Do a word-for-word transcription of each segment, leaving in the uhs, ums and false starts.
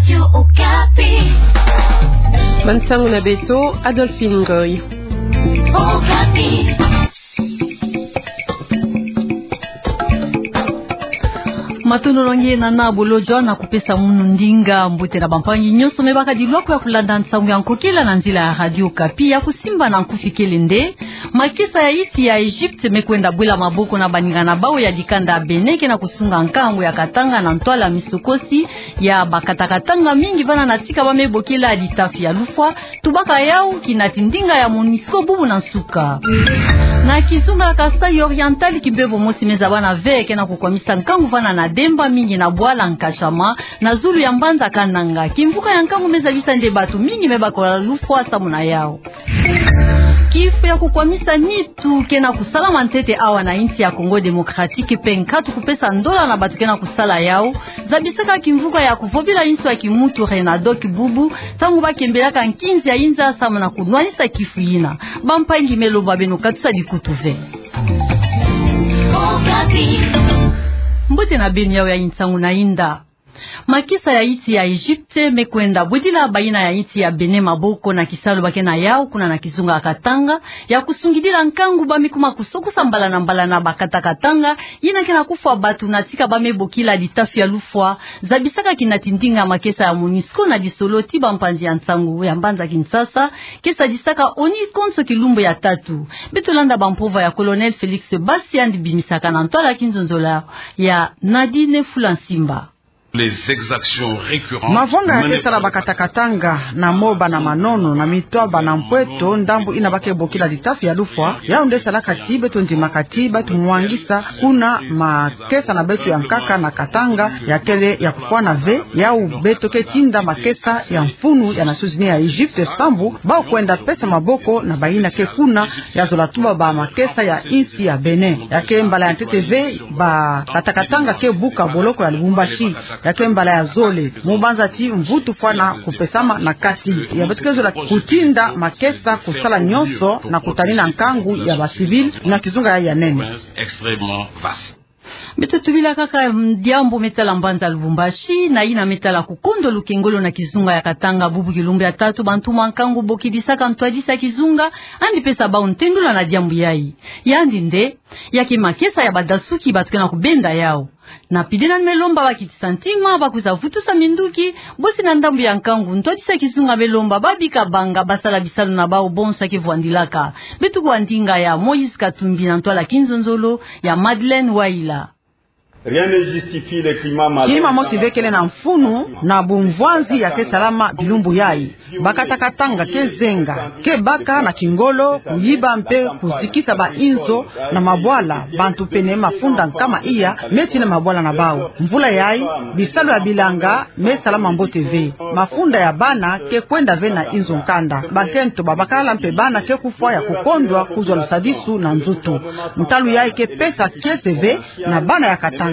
Radio Okapi. Bansangu na beto, Adolphine Ngoy. Okapi. Matondo na nge nana bolodjwa na kupesa munu ndinga. Mbote na bampangi nyonso me bakadi lwaka ya kulanda nsangu ya nkokila na nzila ya Radio Okapi ya kusimba na nkufi kele nde: makesa ya insi ya Egypte me kwenda bwila maboko na baninga na bau ya dikanda ya Bénin ke na kusunga nkangu ya Katanga na ntwala misokosi ya bakata-katanga mingi vana na tika ba me bokila ditafi ya lufwa. Tubaka yau kinati ndinga ya MONUSCO bubu na nsuka. Na kizunga Kasaï Oriental, kimbevo mosi me zabana ve ke na kukwamisa nkangu vana na Demba, mingi na bwala Nkashama, na zulu ya mbanza Kananga. Kimvuka ya nkangu me zabisa nde batu mingi me bakala lufwa samu na yau. Kifu ya kukwamisa nitu ke na kusalama ntete awa na insi ya Congo Démocratique, mpe nkatu kupesa ndola na batu ke na kusala yau, zabisaka kimvuka ya kuvovila inso ya kimutu Renadoc bubu, ntangu ba kembelaka nkinzi ya inza samu na kunwanisa kifu yina. Bampangi, me lomba beno katusa dikutu ve. Mbote na beno, yau yayi nsangu na inda. Makesa ya insi ya Egypte me kwenda bwidila bayina ya insi ya Bénin maboko na kisalu ba ke na yau kuna na kizunga Katanga, ya kusungidila nkangu ba me kuma kusokosa mbala na mbala na bakata-katanga yina ke na kufwa batu na tika ba me bokila ditafi ya lufwa, zabisaka kinati ndinga makesa ya MONUSCO na lisolo ti bampanzi ya nsangu ya mbanza Kinshasa, ke sadisaka ONU konso kilumbu ya tatu. Beto landa bampova ya Colonel Félix Bassi, yandi bimisaka na ntwala kinzonzolo ya Nadine Fula Nsimba. Les exactions récurrentes. Mavanga ya ke sala bakata-katanga na moba na manono na mitwaba na mpweto ndambu ina ba ke bokila ditafi ya lufwa, yau nde salaka ti beto ndimaka ti beto mwangisa kuna makesa na beto ya nkaka na Katanga ya kele ya kufwana ve. Yau beto ke tinda makesa ya mfunu ya Nations Unies ya Egypte sambu ba kwenda pesa maboko na bayina ke kuna ya zola tuba ba makesa ya insi ya Bénin. Ya ke mbala ya ntete ve bakata-katanga ke buka boloko ya Lubumbashi. Ya ke mbala ya zole, mu banza ti mvutu fwana kupesama na kati. Ya beto ke zola kutinda makesa kusala nyonso na kutanina nkangu ya ba civils na kizunga ya, ya nene. Extrêmement vaste. Beto tubila kaka, mm, diambu me tala mbanza Lubumbashi, na yina me tala kukondo lukengolo na kizunga ya Katanga. Bubu kilumbu ya tatu bantu ma nkangu bokidisaka ntwadisi ya kizunga, yandi pesa bau ntendula na diambu yayi. Yandi nde, ya ke makesa ya badasuki batu ke na kubenda yau. Na pide nani me lomba bakitisa ntima, ba kwiza vutusa minduki, bosi na ndambu ya nkangu ntwadisi ya kizunga me lomba babika banga basala bisalu na bau bonso ya ke vwandilaka. Beto kuwa ndinga ya Moïse Katumbi na ntwala kinzonzolo ya Madeleine Waila. Rien ne justifie le climat malsain. Kima mosi ve kele na mfunu na bumvwanzi ya ke salama bilumbu yayi. Bakata-katanga ke zenga, ke baka na kingolo, kuyiba mpe kuzikisa ba inzo na mabwala, bantu pene mafunda nkama iya me tina mabwala na bau. Mvula yayi, bisalu ya bilanga me salama mbote ve. Mafunda ya bana ke kwenda ve na inzo nkanda. Bankento, babakala mpe bana ke kufwa ya kukondwa kuzwa lusadisu na nzutu. Ntalu yayi ke pesa kiese ve na bana ya Katanga.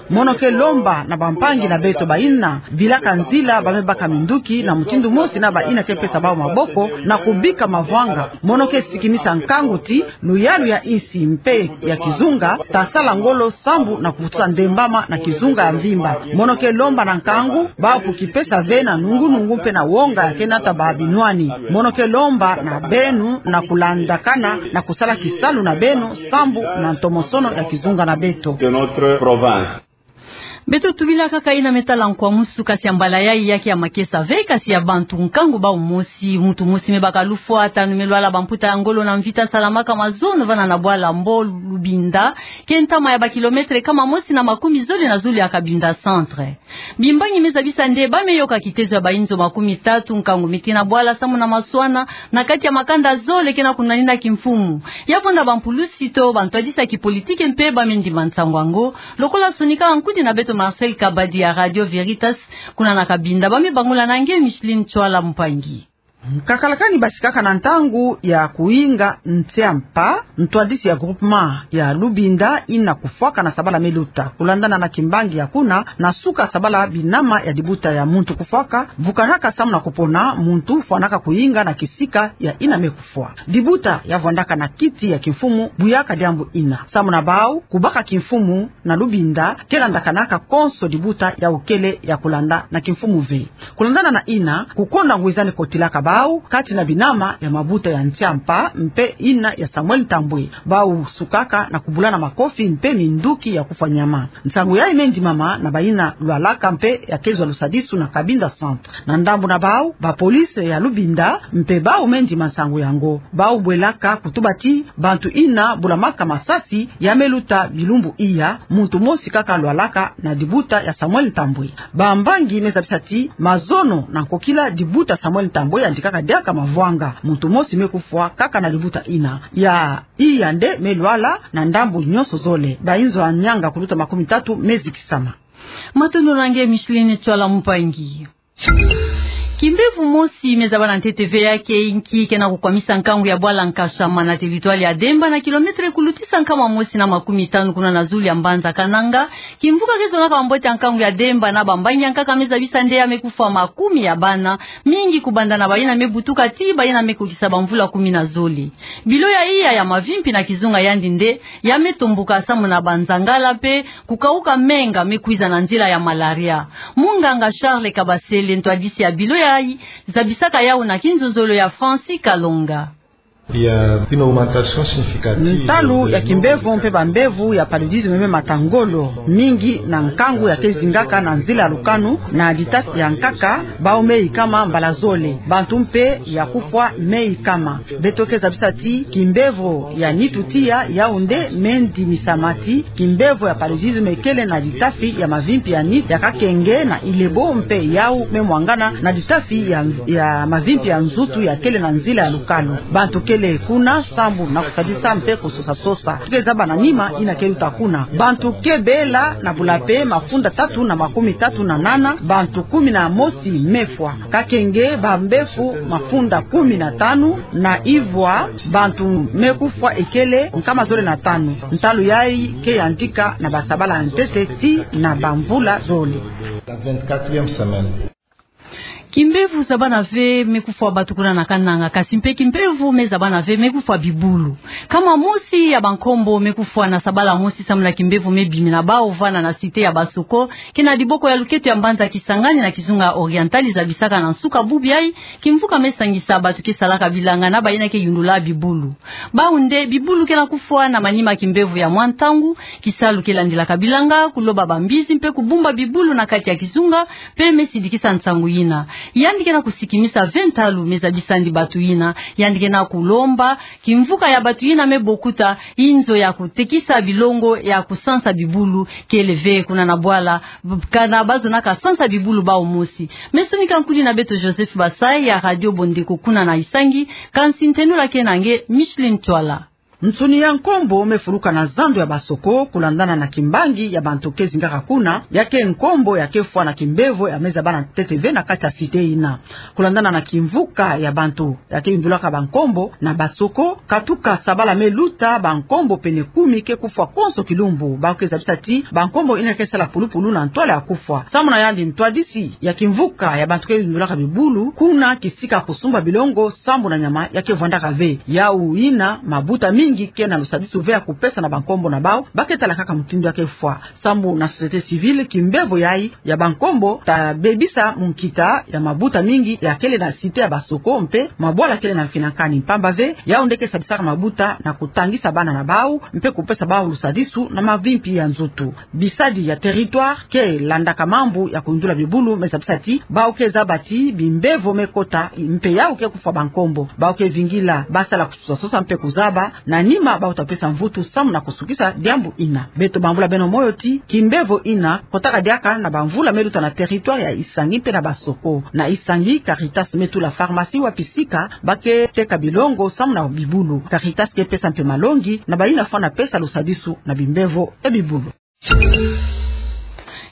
Mono ke lomba na bampangi na beto bayina vilaka nzila ba me baka minduki na mutindu mosi na bayina ke pesa bau maboko na kubika mavanga. Mono ke sikinisa nkangu ti luyalu ya insi mpe ya kizunga ta sala ngolo sambu na kuvutusa ndembama na kizunga ya mvimba. Mono ke lomba na nkangu bau kukipesa ve na nungu-nungu mpe na wonga ya ke nata ba binwani. Mono ke lomba na beno na kulandakana na kusala kisalu na beno sambu na ntomosono ya kizunga na beto. De notre province. Beto tubila kaka yina me tala nkwamusu, kasi ya mbala yayi ya ke ya makesa ve, kasi ya bantu nkangu bau mosi. Mutu mosi me baka lufwa, tanu me lwala, bamputa ya ngolo na mvita salamaka mazono vana na bwala Mbo Lubinda, ke ntama ya ba kilomètre kama mosi na makumi zole na zole ya Cabinda Centre. Bimbangi me zabisa nde ba me yoka kitezo ya ba inzo makumi tatu, nkangu me tina bwala samu na maswana na kati ya makanda zole ke na kunwanina kimfumu. Ya vonda bampulusi to bantwadisi ya kipolitiki mpe ba me ndima nsangu yango, lokola sonika nkudi na beto Marcel Kabadi ya Radio Veritas kuna na Cabinda, ba me bangula na nge Micheline Tswala Mpangi. Kakalakani basikaka na ntangu ya kuinga ntia mpa, ntwadisi ya groupement ya Lubinda ina kufwaka na sabala me luta. Kulandana na kimbangi ya kuna, na suka sabala binama ya dibuta ya muntu kufwaka vukanaka samu na kupona muntu fwanaka kuinga na kisika ya ina me kufwa. Dibuta ya vwandaka na kiti ya kimfumu buyaka diambu ina. Samu na bau, kubaka kimfumu na Lubinda ke landakanaka konso dibuta yau kele ya kulanda na kimfumu ve. Kulandana na ina, kukonda ngwizani kotilaka bau kati na binama ya mabuta ya ntia mpa mpe ina ya Samuel Ntambwe. Bau sukaka na kubulana makofi mpe minduki ya kufwa nyama. Nsangu yayi me ndimama na baina lwalaka mpe ya kezwa lusadisu na Cabinda Centre. Na ndambu na bau, bapolisi ya Lubinda mpe bau me ndima nsangu yango. Bau bwelaka kutuba ti bantu ina bulamaka masasi ya me luta bilumbu iya, muntu mosi kaka lwalaka na dibuta ya Samuel Ntambwe. Bambangi me zabisa ti mazono na nkokila dibuta Samuel Ntambwe yandikaka diaka mavwanga. Muntu mosi me kufwa kaka na dibuta ina. Ya iya nde me lwala na ndambu nyonso zole. Bainzo ya nyanga kuluta makumi tatu me zikisama. Matondo na nge Micheline Tswala Mpangi. Kimbevo mosi me zaba na ntete ve ya ke inki ke na kukwamisa nkangu ya bwala Nkashama na territoire ya Demba na kilomètre kulutisa nkama mosi na makumi tanu kuna na zulu ya mbanza Kananga. Kimvuka ke zonaka bambote ya nkangu ya Demba na bambangi ya nkaka me zabisa nde ya me kufwa makumi ya bana, mingi kubanda na baina me butuka ti baina me kokisa bamvula kumi na zole. Bilo ya iya ya mavimpi na kizunga yandi nde ya me tomboka samu na banzangala mpe kukauka menga me kwiza na nzila ya malaria. Munganga Charles Kabasele, ntwadisi ya bilo yayi, zabisaka yau na kinzonzolo ya Francis Kalonga. Il y a une augmentation significative. Ntalu ya kimbevo mpe bambevo ya paludisme me mata ngolo mingi na nkangu ya ke zingaka na nzila ya lukanu na ditafi ya nkaka, bau me ikama mbala zole. Bantu mpe ya kufwa me ikama. Beto ke zabisa ti kimbevo ya nitu tiya yau nde me ndimisama ti kimbevo ya paludisme kele na ditafi ya mavimpi ya nitu ya kakenge na Ilebo mpe yau me mwangana na ditafi ya, ya mavimpi ya nzutu ya kele na nzila ya lukalu. Bantu kele kuna sambu na kusadisa mpe kusosa-sosa. Ke zaba na nima ina ke luta kuna. Bantu ke bela na bula mpe mafunda tatu na makumi tatu na nana, bantu kumi na mosi me fwa. Kakenge bambevo mafunda kumi na tanu, na ivwa bantu me kufwa ekele nkama zole na tanu. Ntalu yayi ke yandika na basabala ya ntete ti na bamvula zole. La vingt-quatrième semaine. Kimbevo zabana ve me kufwa bantu kuna na Kananga, kasi mpe kimbevo me zabana ve me kufwa bibulu. Nkama mosi ya bankombo me kufwa na sabala mosi samu na kimbevo me bimina bau vana na cité ya Basoko, ke na diboko ya luketo ya mbanza Kisangani na kizunga Oriental, zabisaka na nsuka bubu yayi kimvuka me sangisa bantu ke salaka bilanga na baina ke yundula bibulu. Bau nde bibulu ke na kufwa na manima kimbevo ya mwa ntangu, kisalu ke landilaka bilanga, kuloba bambizi mpe kubumba bibulu na kati ya kizunga, mpe me sidikisa nsangu yina. Yandi ke na kusikimisa ve ntalu me zabisandi bantu yina, yandi ke na kulomba kimvuka ya bantu yina me bokuta inzo ya kutekisa bilongo ya kusansa bibulu kele ve kuna na bwala, kana bazonaka sansa bibulu bau mosi. Me sonika nkuli na beto Joseph Basai ya Radio Bondeko kuna na Isangi, kansi ntenola ke na nge Micheline Tswala. Nsuni ya nkombo me fuluka na zando ya Basoko, kulandana na kimbangi ya bantu ke zingaka kuna, ya ke nkombo ya ke fwa na kimbevo ya me zabana ntete ve na kati ya cité yina. Kulandana na kimvuka ya bantu ya ke yundulaka bankombo na Basoko, katuka sabala me luta bankombo pene kumi ke kufwa konso kilumbu. Bau ke zabisa ti bankombo yina ke sala pulupulu na ntwala ya kufwa. Samu na yandi, ntwadisi ya kimvuka ya bantu ke yundulaka bibulu kuna kisika kusumba bilongo, sambu na nyama ya ke vwandaka ve. Yau yina mabuta mingi ke na lusadisu ve ya kupesa na bankombo na bau, ba ke tala kaka mutindu ya ke fwa. Sambu na société civile, kimbevo yayi ya bankombo ta bebisa munkita ya mabuta mingi ya kele na cité ya Basoko mpe mabwala kele na mfinankani, mpamba ve yau nde ke sadisaka mabuta na kutangisa bana na bau mpe kupesa bau lusadisu na mavimpi ya nzutu. Bisadi ya territoire ke landaka mambu ya kuyundula bibulu me zabisa ti bau ke zaba ti bimbevo me kota mpe yau ke kufwa bankombo. Bau ke vingila ba sala kusosa-sosa mpe kuzaba na nima bau ta pesa mvutu samu na kusukisa diambu yina. Beto bambula beno moyo ti kimbevo yina kotaka diaka na bamvula me luta na territoire ya Isangi mpe na Basoko. Na Isangi, Caritas me tula pharmacie wapi sika ba ke teka bilongo samu na bibulu. Caritas ke pesa mpe malongi na bayina fwana pesa lusadisu na bimbevo ya bibulu.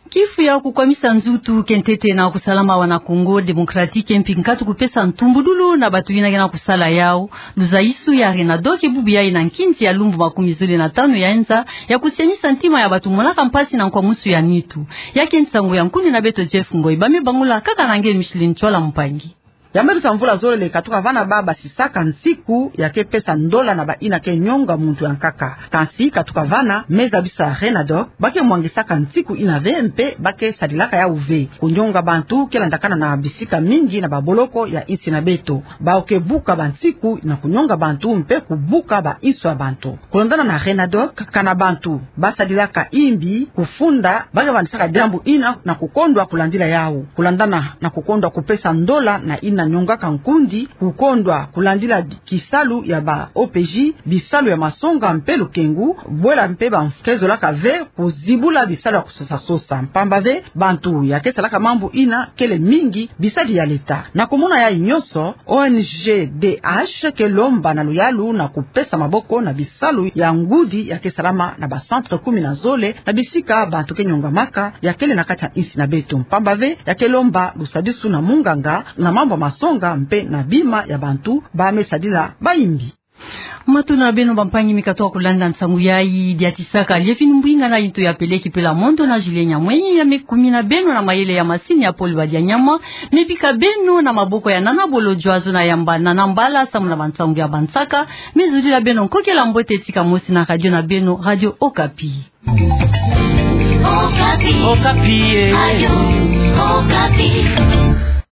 Kifu ya kukwamisa nzutu ke ntete na kusalama wa na Congo Démocratique, mpi nkatu kupesa ntumbudulu na bato yina ke na kusala yau. Luzaisu ya RENADOC ke bubu yayi na nkinzi ya lumbu makumi zole na tanu ya nza, ya kusianisa ntima ya bato monaka mpasi na nkwamusu ya nitu. Ya ke nsangu ya nkundi na beto Jeff Ngoi, ba me bangula kaka na nge Micheline Tshwala Mpangi. Ya me luta mvula zole katuka vana ba basisaka nsiku ya ke pesa ndola na bayina ke nyonga muntu ya nkaka. Kansi katuka vana, me zabisa RENADOC, ba ke mwangisaka nsiku yina ve mpe ba ke sadilaka yau ve. Kunyonga bantu ke landakana na bisika mingi na baboloko ya insi na beto. Bau ke buka bansiku na kunyonga bantu mpe kubuka bainso ya bantu. Kulandana na RENADOC, kana bantu ba sadilaka imbi kufunda, ba ke vandisaka diambu yina na kukondwa kulandila yau. Kulandana na kukondwa kupesa ndola na yina nyongaka nkundi, kukondwa kulandila kisalu ya ba OPJ, bisalu ya masonga mpe lukengu, bwela mpe ba ke zolaka ve kuzibula bisalu ya kusosa-sosa. Mpamba ve, bantu ya ke salaka mambu yina kele mingi bisadi ya leta. Na kumona yayi nyonso, ONG DH ke lomba na luyalu na kupesa maboko na bisalu ya ngudi ya ke salama na ba centre kumi na zole na bisika bantu ke nyongamaka ya kele na kati ya insi na beto. Mpamba ve, ya ke lomba lusadisu na munganga na mambu ya masonga mpe na bima ya bantu ba me sadila bayimbi. Matondo na beno bampangi mi katuka kulanda nsangu yayi. Diatisaka Lievine Mbwinga na Into ya Peleki Pela Mondo na Julien Nyamwenyi ya me kumina beno na mayele ya masini ya Paul Badianyama. Me bika beno na maboko ya Nana Bolodjwa, zona yamba Nana Mbala samu na bansangu ya bansaka. Me zudila beno nkokela mbote, tika mosi na radio na beno, Radio Okapi. Okapi. Okapi, eh. Radio Okapi.